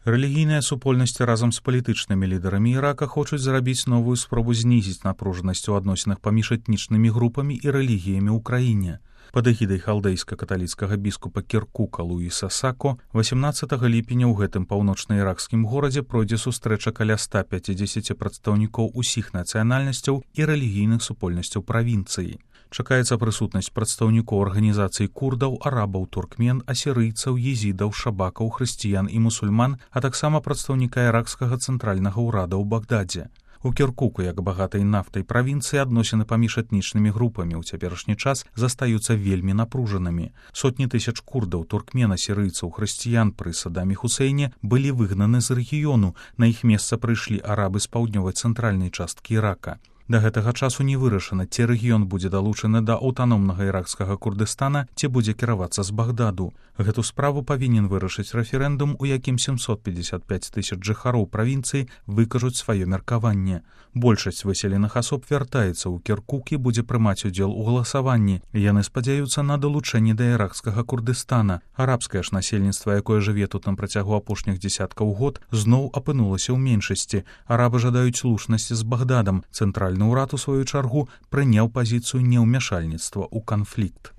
Рэлігійныя супольнасці разам з палітычнымі лідарамі Ірака хочуць зрабіць новую спробу знізіць напружанасць у адносінах паміж этнічнымі групамі і рэлігіямі ў краіне. Пад эгідай халдэйска-каталіцкага біскупа Кіркука Луіса Сако 18 ліпеня ў гэтым паўночна-іракскім горадзе пройдзе сустрэча каля 150 прадстаўнікоў усіх нацыянальнасцяў і рэлігійных супольнасцяў правінцыі. Чакаецца прысутнасць прадстаўнікоў арганізацый курдаў, арабаў, туркмен, асірыйцаў, езідаў, шабакаў, хрысціян і мусульман, а таксама прадстаўніка іракскага цэнтральнага ўрада ў Багдадзе. У Кіркуку, як багатай нафтай правінцыі, адносіны паміж этнічнымі групамі ў цяперашні час застаюцца вельмі напружанымі. Сотні тысяч курдаў, туркмен, асірыйцаў, хрысціян пры Садаме Хусейне былі выгнаны з рэгіёну, на іх месца прыйшлі арабы з паўднёвай цэнтральнай часткі Ірака. Да гэтага часу не вырашана, ці рэгіён будзе далучаны да аўтаномнага іракскага Курдыстана, ці будзе кіравацца з Багдаду. Гэту справу павінен вырашыць рэферэндум, у якім 755 тысяч жыхароў правінцыі выкажуць сваё меркаванне. Большасць выселеных асоб вяртаецца ў Кіркук і будзе прымаць удзел у галасаванні. Яны спадзяюцца на далучэнне да іракскага Курдыстана. Арабскае ж насельніцтва, якое жыве тут на працягу апошніх дзесяткаў год, зноў апынулася ў меншасці. Арабы жадаюць слушнасці з Багдадам. Цэнтральны ўрад, у сваю чаргу, прыняў пазіцыю неўмяшальніцтва ў канфлікт.